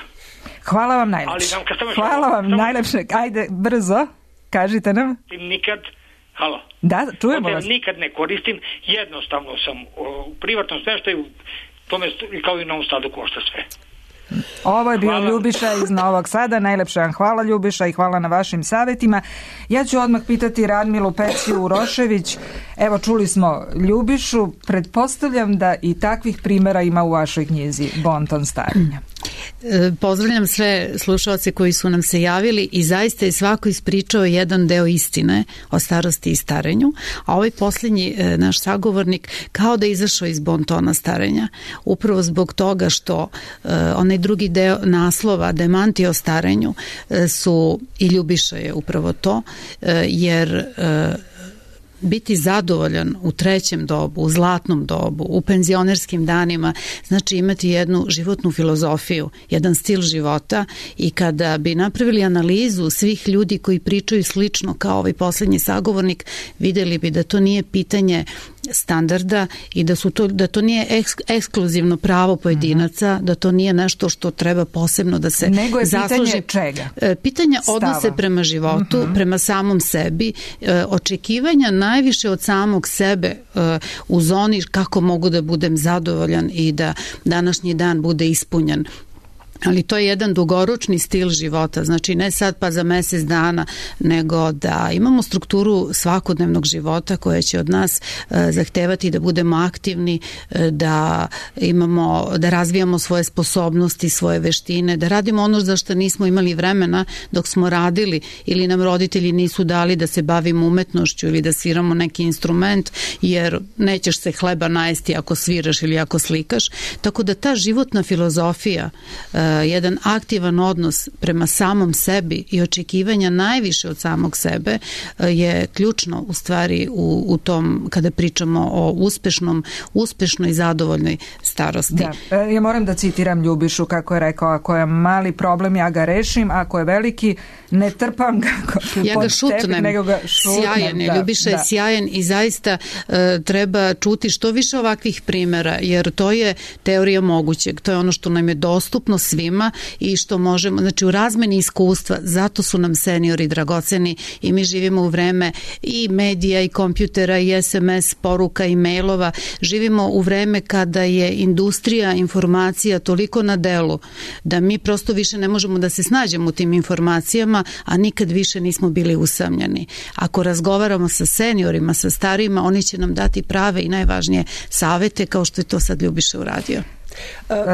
Speaker 4: Hvala vam najlepše. Hvala vam samo, najlepše. Ajde, brzo, kažite nam.
Speaker 18: Nikad Halo.
Speaker 4: Da, čujemo vas.
Speaker 18: Nikad ne koristim, jednostavno sam u privatnom smještaju, tome kao i na Novom Sadu košta sve.
Speaker 4: Ovo je bio
Speaker 18: hvala.
Speaker 4: Ljubiša iz Novog Sada. Najlepše vam hvala, Ljubiša, i hvala na vašim savjetima. Ja ću odmah pitati Radmilu Peciju Urošević. Evo, čuli smo Ljubišu. Pretpostavljam da i takvih primjera ima u vašoj knjizi Bonton starenja.
Speaker 5: Pozdravljam sve slušalce koji su nam se javili i zaista je svako ispričao jedan deo istine o starosti i starenju, a ovaj posljednji naš sagovornik kao da je izašao iz bontona starenja, upravo zbog toga što uh, onaj drugi deo naslova Demanti o starenju uh, su, i Ljubiša je upravo to, uh, jer uh, biti zadovoljan u trećem dobu, u zlatnom dobu, u penzionerskim danima, znači imati jednu životnu filozofiju, jedan stil života, i kada bi napravili analizu svih ljudi koji pričaju slično kao ovaj posljednji sagovornik, vidjeli bi da to nije pitanje standarda i da su to, da to nije eks, ekskluzivno pravo pojedinaca, mm-hmm. da to nije nešto što treba posebno da se
Speaker 4: nego je
Speaker 5: zasluži.
Speaker 4: Pitanje čega?
Speaker 5: Pitanje odnose prema životu, mm-hmm. prema samom sebi, očekivanja najviše od samog sebe u zoni kako mogu da budem zadovoljan i da današnji dan bude ispunjen. Ali to je jedan dugoročni stil života, znači ne sad pa za mjesec dana, nego da imamo strukturu svakodnevnog života koja će od nas e, zahtevati da budemo aktivni, e, da imamo, da razvijamo svoje sposobnosti, svoje veštine, da radimo ono za što nismo imali vremena dok smo radili ili nam roditelji nisu dali da se bavimo umetnošću ili da sviramo neki instrument, jer nećeš se hleba najesti ako sviraš ili ako slikaš. Tako da ta životna filozofija e, jedan aktivan odnos prema samom sebi i očekivanja najviše od samog sebe je ključno u stvari u, u tom kada pričamo o uspešnom, uspešnoj i zadovoljnoj starosti.
Speaker 4: Da. Ja moram da citiram Ljubišu kako je rekao, ako je mali problem ja ga rešim, ako je veliki ne trpam ga
Speaker 5: ja ga šutnem, nego ga šutnem. Sjajan je, da, Ljubiša da. je sjajan i zaista uh, treba čuti što više ovakvih primjera, jer to je teorija mogućeg, to je ono što nam je dostupno svima i što možemo, znači u razmeni iskustva, zato su nam seniori dragoceni i mi živimo u vreme i medija i kompjutera i es em es poruka i mailova, živimo u vreme kada je industrija informacija toliko na delu da mi prosto više ne možemo da se snađemo u tim informacijama, a nikad više nismo bili usamljeni. Ako razgovaramo sa seniorima, sa starijima, oni će nam dati prave i najvažnije savete kao što je to sad Ljubiša uradio.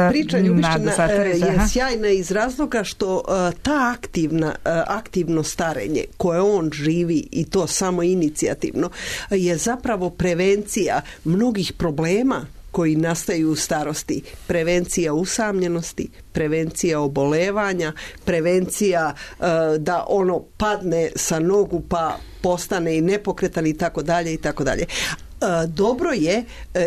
Speaker 2: Priča Ljubišćina je sjajna iz razloga što ta aktivna, aktivno starenje koje on živi i to samo inicijativno je zapravo prevencija mnogih problema koji nastaju u starosti. Prevencija usamljenosti, prevencija obolevanja, prevencija uh, da ono padne sa nogu pa postane i nepokretan i tako dalje i tako dalje. Dobro je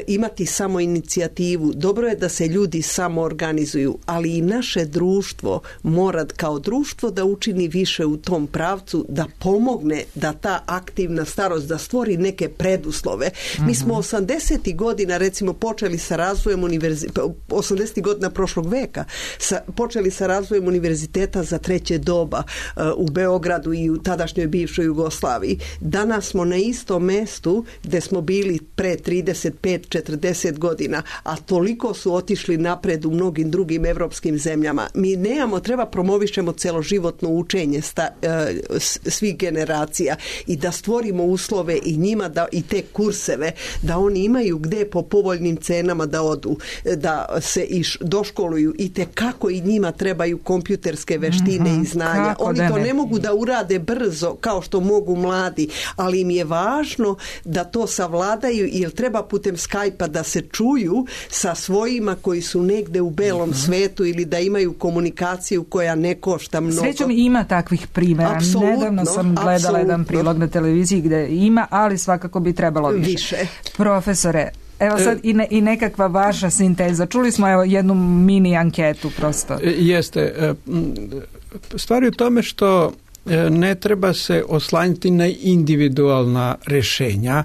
Speaker 2: imati samo inicijativu, dobro je da se ljudi samo organizuju, ali i naše društvo mora kao društvo da učini više u tom pravcu, da pomogne da ta aktivna starost, da stvori neke preduslove. Mm-hmm. Mi smo osamdesetih godina recimo počeli sa razvojem univerziteta, osamdesetih godina prošlog veka, sa, počeli sa razvojem univerziteta za treće doba uh, u Beogradu i u tadašnjoj bivšoj Jugoslaviji. Danas smo na istom mestu gde smo bili pre trideset pet četrdeset godina, a toliko su otišli napred u mnogim drugim evropskim zemljama. Mi nemamo, treba promovišemo celoživotno učenje sta, uh, svih generacija i da stvorimo uslove i njima da i te kurseve, da oni imaju gde po povoljnim cenama da odu, da se iš, doškoluju i te kako i njima trebaju kompjuterske veštine mm-hmm. i znanja. Kako oni to ne? ne mogu da urade brzo kao što mogu mladi, ali im je važno da to savladaju, jer treba putem Skype-a da se čuju sa svojima koji su negde u belom mm-hmm. svetu ili da imaju komunikaciju koja ne košta mnogo.
Speaker 4: Srećom ima takvih primjera. Apsolutno, Nedavno sam gledala apsolutno. jedan prilog na televiziji gde ima, ali svakako bi trebalo više. više. Profesore, evo sad i, ne, i nekakva vaša sinteza. Čuli smo evo jednu mini anketu prosto.
Speaker 7: Jeste. Stvar je u tome što ne treba se oslanjati na individualna rešenja,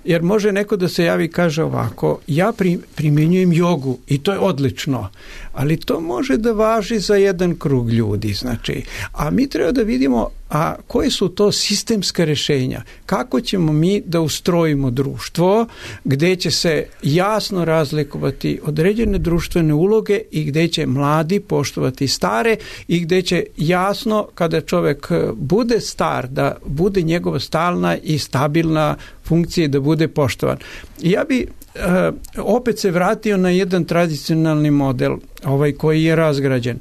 Speaker 7: jer može neko da se javi i kaže ovako, ja primjenjujem jogu i to je odlično, ali to može da važi za jedan krug ljudi, znači, a mi treba da vidimo a koje su to sistemska rešenja, kako ćemo mi da ustrojimo društvo gde će se jasno razlikovati određene društvene uloge i gde će mladi poštovati stare i gde će jasno kada čovek bude star da bude njegova stalna i stabilna funkcija da bude poštovan. Ja bi uh, opet se vratio na jedan tradicionalni model, ovaj koji je razgrađen.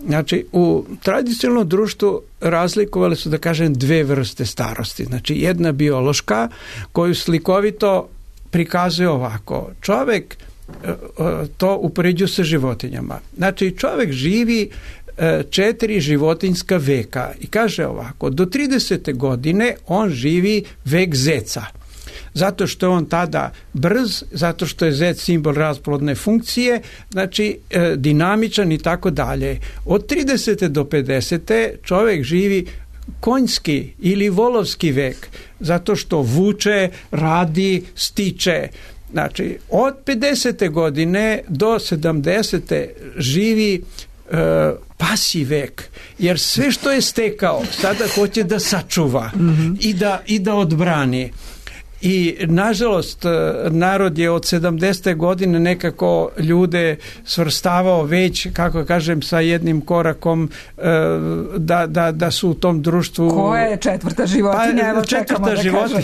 Speaker 7: Znači, u tradicionalnom društvu razlikovali su, da kažem, dve vrste starosti. Znači, jedna biološka koju slikovito prikazuje ovako. Čovek uh, to upoređuje sa životinjama. Znači, čovek živi četiri životinjska veka i kaže ovako, do tridesete godine on živi vek zeca. Zato što je on tada brz, zato što je zec simbol rasplodne funkcije, znači e, dinamičan i tako dalje. Od tridesete do pedesete čovjek živi konjski ili volovski vek, zato što vuče, radi, stiče. Znači, od pedesete godine do sedamdesete živi e, pasji vek, jer sve što je stekao sada hoće da sačuva mm-hmm. i, da, i da odbrani. I nažalost narod je od sedamdesete godine nekako ljude svrstavao već, kako kažem, sa jednim korakom da, da, da su u tom društvu.
Speaker 4: Koja je četvrta životinja?
Speaker 7: Pa,
Speaker 4: Evo
Speaker 7: četvrta
Speaker 4: da
Speaker 7: životinja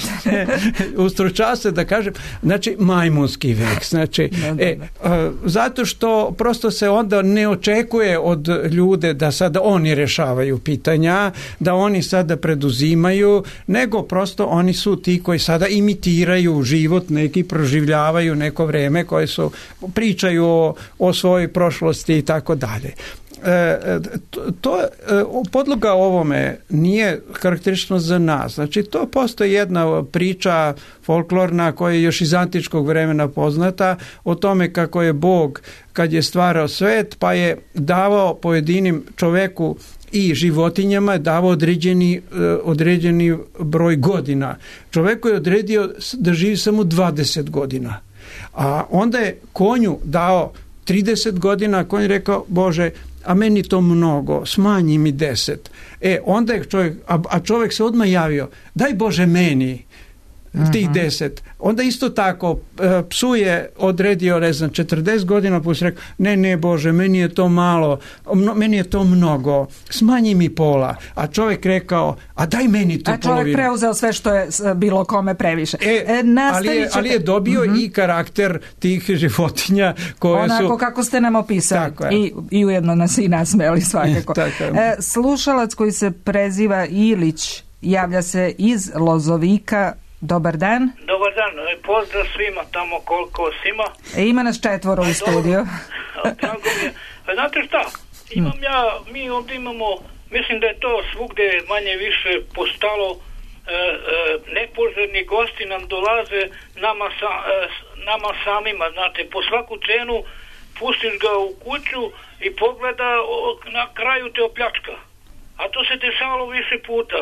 Speaker 7: ustručava se da kažem, znači majmunski vek, znači da, da, da. E, zato što prosto se onda ne očekuje od ljude da sada oni rešavaju pitanja, da oni sada preduzimaju, nego prosto oni su ti koji sada im imitiraju život, neki proživljavaju neko vreme koje su, pričaju o, o svojoj prošlosti i tako dalje. to, to podloga ovome nije karakteristično za nas. Znači, to postoji jedna priča folklorna koja je još iz antičkog vremena poznata o tome kako je Bog, kad je stvarao svet, pa je davao pojedinim čoveku i životinjama, davao određeni, određeni broj godina. Čoveku je odredio da živi samo dvadeset godina. A onda je konju dao trideset godina, a konj je rekao, Bože, a meni to mnogo, smanji mi deset. E, onda je čovjek, a, a čovjek se odmah javio, daj Bože meni tih deset. Onda isto tako psu je odredio, ne znam, četrdeset godina, pa se rekao, ne, ne Bože, meni je to malo, meni je to mnogo, smanji mi pola. A čovjek rekao, a daj meni tu polovinu.
Speaker 4: A čovjek preuzeo sve što je bilo kome previše.
Speaker 7: E, e, ali, je, ali je dobio uh-huh. i karakter tih životinja koje
Speaker 4: onako
Speaker 7: su...
Speaker 4: Onako kako ste nam opisali. I, I ujedno nas i nasmeli svakako. e, slušalac koji se preziva Ilić javlja se iz Lozovika. Dobar dan.
Speaker 19: Dobar dan, pozdrav svima tamo koliko svima.
Speaker 4: E, ima nas četvoro u studiju.
Speaker 19: Znate šta, imam ja, mi ovdje imamo, mislim da je to svugdje manje više postalo, e, e, nepoželjni gosti nam dolaze nama, sa, e, nama samima, znate, po svaku cenu pustiš ga u kuću i pogleda, o, na kraju te opljačka. A to se dešavalo više puta.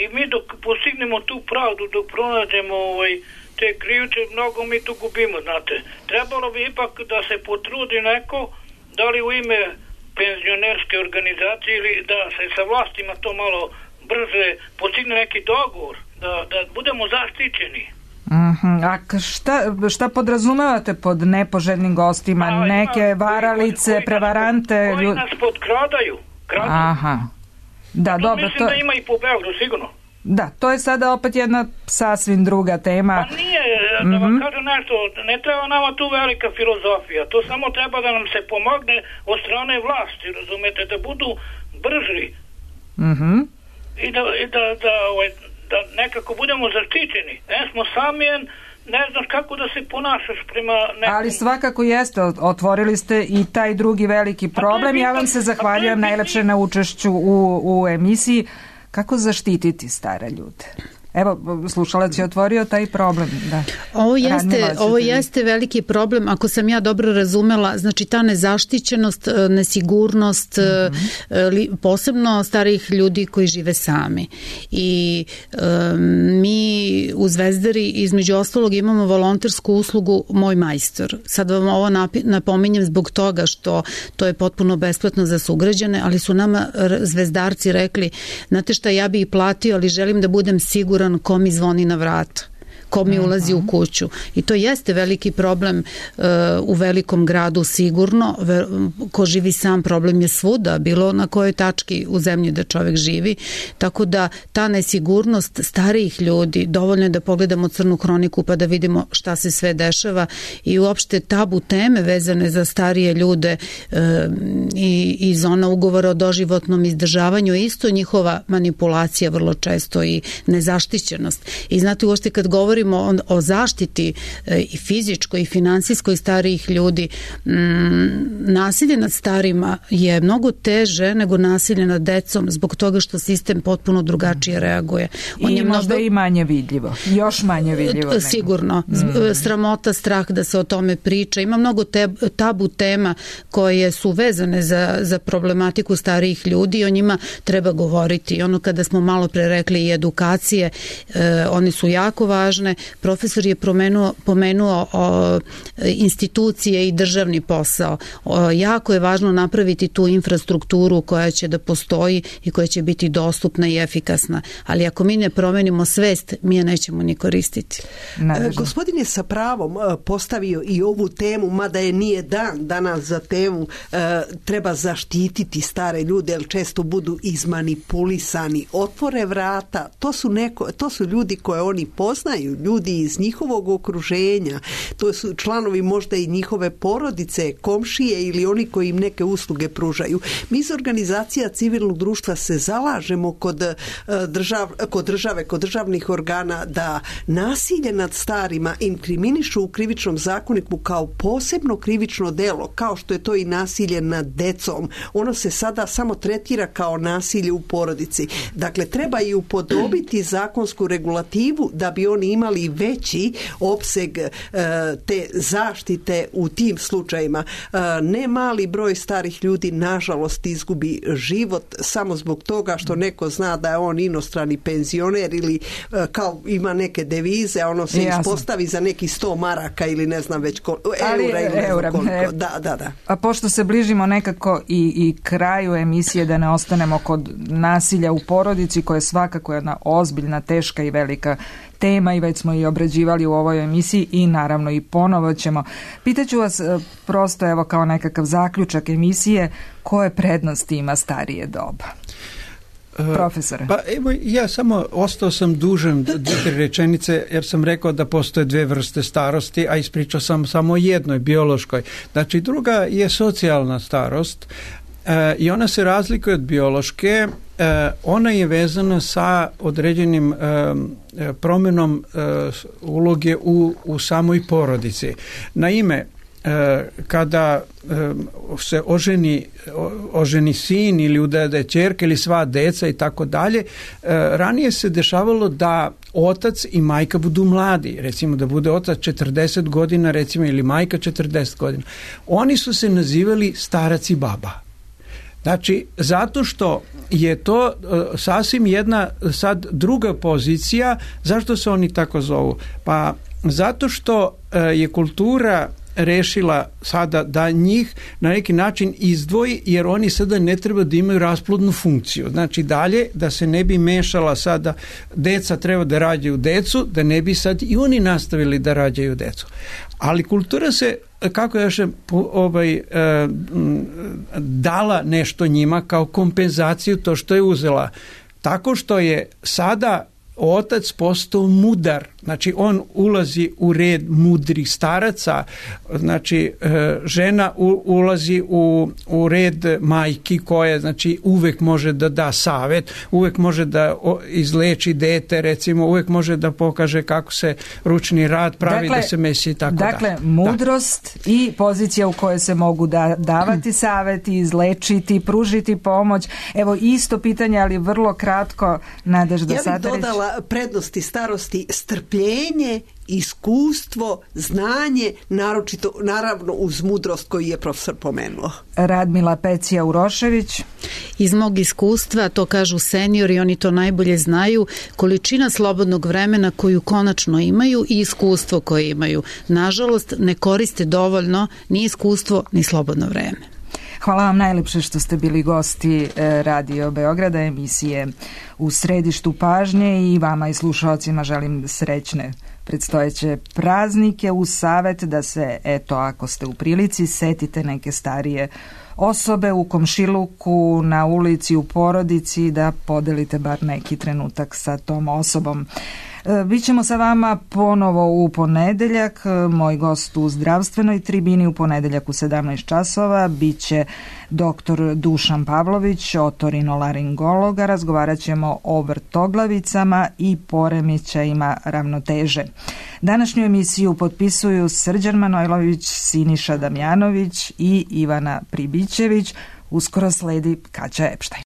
Speaker 19: I mi dok postignemo tu pravdu, dok pronađemo ovaj, te krivce, mnogo mi tu gubimo, znate. Trebalo bi ipak da se potrudi neko, da li u ime penzionerske organizacije ili da se sa vlastima to malo brže postigne neki dogovor, da, da budemo zaštićeni.
Speaker 4: Uh-huh. A šta, šta podrazumevate pod nepoželjnim gostima? A, neke ima, varalice, koji, koji prevarante?
Speaker 19: Nas, koji nas podkradaju. Kradaju.
Speaker 4: Aha. Da,
Speaker 19: to
Speaker 4: dobro,
Speaker 19: mislim
Speaker 4: to...
Speaker 19: da ima i po Beogradu, sigurno.
Speaker 4: Da, to je sada opet jedna sasvim druga tema.
Speaker 19: Pa nije, da mm-hmm. vam kažem nešto, ne treba nama tu velika filozofija, to samo treba da nam se pomogne od strane vlasti, razumete, da budu brži.
Speaker 4: Mhm.
Speaker 19: I da, i da, da, da, da nekako budemo zaštićeni. Ne smo sami, ne znaš kako da se ponašaš prema nekom...
Speaker 4: Ali svakako jeste, otvorili ste i taj drugi veliki problem. Ja vam se zahvaljujem najlepše na učešću u, u emisiji. Kako zaštititi stare ljude? Evo, slušalac je otvorio taj problem. Da.
Speaker 5: Ovo jeste, ovo jeste veliki problem, ako sam ja dobro razumela, znači ta nezaštićenost, nesigurnost, mm-hmm. posebno starijih ljudi koji žive sami. I um, mi u Zvezdari između ostalog imamo volontersku uslugu Moj majstor. Sad vam ovo napominjem zbog toga što to je potpuno besplatno za sugrađane, ali su nama zvezdarci rekli, znate šta, ja bi i platio, ali želim da budem siguran ko mi zvoni na vrata, ko mi ulazi u kuću. I to jeste veliki problem uh, u velikom gradu sigurno. Ver, ko živi sam, problem je svuda, bilo na kojoj tački u zemlji da čovjek živi. Tako da ta nesigurnost starijih ljudi, dovoljno je da pogledamo Crnu hroniku pa da vidimo šta se sve dešava i uopšte tabu teme vezane za starije ljude uh, i iz ona ugovora o doživotnom izdržavanju je isto njihova manipulacija vrlo često i nezaštićenost. I znate, uopšte kad govori o, o zaštiti e, i fizičkoj i finansijskoj starijih ljudi, mm, nasilje nad starima je mnogo teže nego nasilje nad decom zbog toga što sistem potpuno drugačije reaguje.
Speaker 4: On I je možda mnogo... i manje vidljivo. Još manje vidljivo.
Speaker 5: Sigurno. Mm. Sramota, strah da se o tome priča. Ima mnogo te, tabu tema koje su vezane za, za problematiku starijih ljudi i o njima treba govoriti. Ono kada smo malo pre rekli i edukacije, e, one su jako važne. Profesor je promenuo, pomenuo o, institucije i državni posao. O, jako je važno napraviti tu infrastrukturu koja će da postoji i koja će biti dostupna i efikasna. Ali ako mi ne promenimo svest, mi je nećemo ni koristiti.
Speaker 2: E, gospodin je sa pravom postavio i ovu temu, mada je nije dan danas za temu, e, treba zaštititi stare ljude, jer često budu izmanipulisani, otvore vrata, to su, neko, to su ljudi koje oni poznaju slušaju, ljudi iz njihovog okruženja, to su članovi možda i njihove porodice, komšije ili oni koji im neke usluge pružaju. Mi iz organizacija civilnog društva se zalažemo kod, držav, kod države, kod državnih organa da nasilje nad starima inkriminišu u krivičnom zakoniku kao posebno krivično delo, kao što je to i nasilje nad decom. Ono se sada samo tretira kao nasilje u porodici. Dakle, treba i upodobiti zakonsku regulativu da bi oni imali veći opseg e, te zaštite u tim slučajima. E, ne mali broj starih ljudi nažalost izgubi život samo zbog toga što neko zna da je on inostrani penzioner ili e, kao ima neke devize, a ono se Jasno. ispostavi za neki sto maraka ili ne znam već koliko, eura ili ne znam koliko. Da, da, da.
Speaker 4: A pošto se bližimo nekako i, i kraju emisije, da ne ostanemo kod nasilja u porodici, koja je svakako jedna ozbiljna, teška i velika tema i već smo i obrađivali u ovoj emisiji i naravno i ponovo ćemo. Pitaću vas prosto evo kao nekakav zaključak emisije, koje prednosti ima starije doba? Profesore.
Speaker 7: Pa evo, ja samo ostao sam dužan dvije rečenice jer sam rekao da postoje dve vrste starosti, a ispričao sam samo o jednoj, biološkoj. Znači druga je socijalna starost e, i ona se razlikuje od biološke. E, ona je vezana sa određenim e, promjenom e, uloge u, u samoj porodici. Naime, kada se oženi, oženi sin ili udade ćerka ili sva deca i tako dalje, ranije se dešavalo da otac i majka budu mladi, recimo da bude otac četrdeset godina recimo ili majka četrdeset godina. Oni su se nazivali starac i baba. Znači, zato što je to uh, sasvim jedna sad druga pozicija. Zašto se oni tako zovu? Pa zato što uh, je kultura rešila sada da njih na neki način izdvoji, jer oni sada ne treba da imaju rasplodnu funkciju. Znači dalje, da se ne bi mešala sada, deca treba da rađaju decu, da ne bi sad i oni nastavili da rađaju decu. Ali kultura se, kako još ovaj, dala nešto njima kao kompenzaciju to što je uzela. Tako što je sada otac postao mudar, znači on ulazi u red mudrih staraca, znači žena ulazi u, u red majki koje znači uvek može da da savet, uvek može da izleči dete, recimo uvek može da pokaže kako se ručni rad pravi, dakle, da se mesi i tako
Speaker 4: dakle,
Speaker 7: da.
Speaker 4: Dakle, mudrost da. I pozicija u kojoj se mogu da, davati saveti, izlečiti, pružiti pomoć. Evo isto pitanje, ali vrlo kratko, Nadežda Satarić.
Speaker 2: Ja bih dodala prednosti starosti strpljenje, iskustvo, znanje, naročito, naravno uz mudrost koju je profesor pomenuo.
Speaker 4: Radmila Pecija Urošević.
Speaker 5: Iz mog iskustva, to kažu seniori, oni to najbolje znaju, količina slobodnog vremena koju konačno imaju i iskustvo koje imaju. Nažalost, ne koriste dovoljno ni iskustvo, ni slobodno vreme.
Speaker 4: Hvala vam najlepše što ste bili gosti Radio Beograda, emisije U središtu pažnje, i vama i slušalcima želim srećne predstojeće praznike, uz savjet da se, eto, ako ste u prilici, setite neke starije osobe u komšiluku, na ulici, u porodici, da podelite bar neki trenutak sa tom osobom. Bićemo sa vama ponovo u ponedeljak. Moj gost u zdravstvenoj tribini u ponedeljak u sedamnaest časova biće doktor Dušan Pavlović, otorinolaringologa. Razgovarat ćemo o vrtoglavicama i poremećajima ravnoteže. Današnju emisiju potpisuju Srđan Manojlović, Siniša Damjanović i Ivana Pribićević. Uskoro sledi Kaća Epštajn.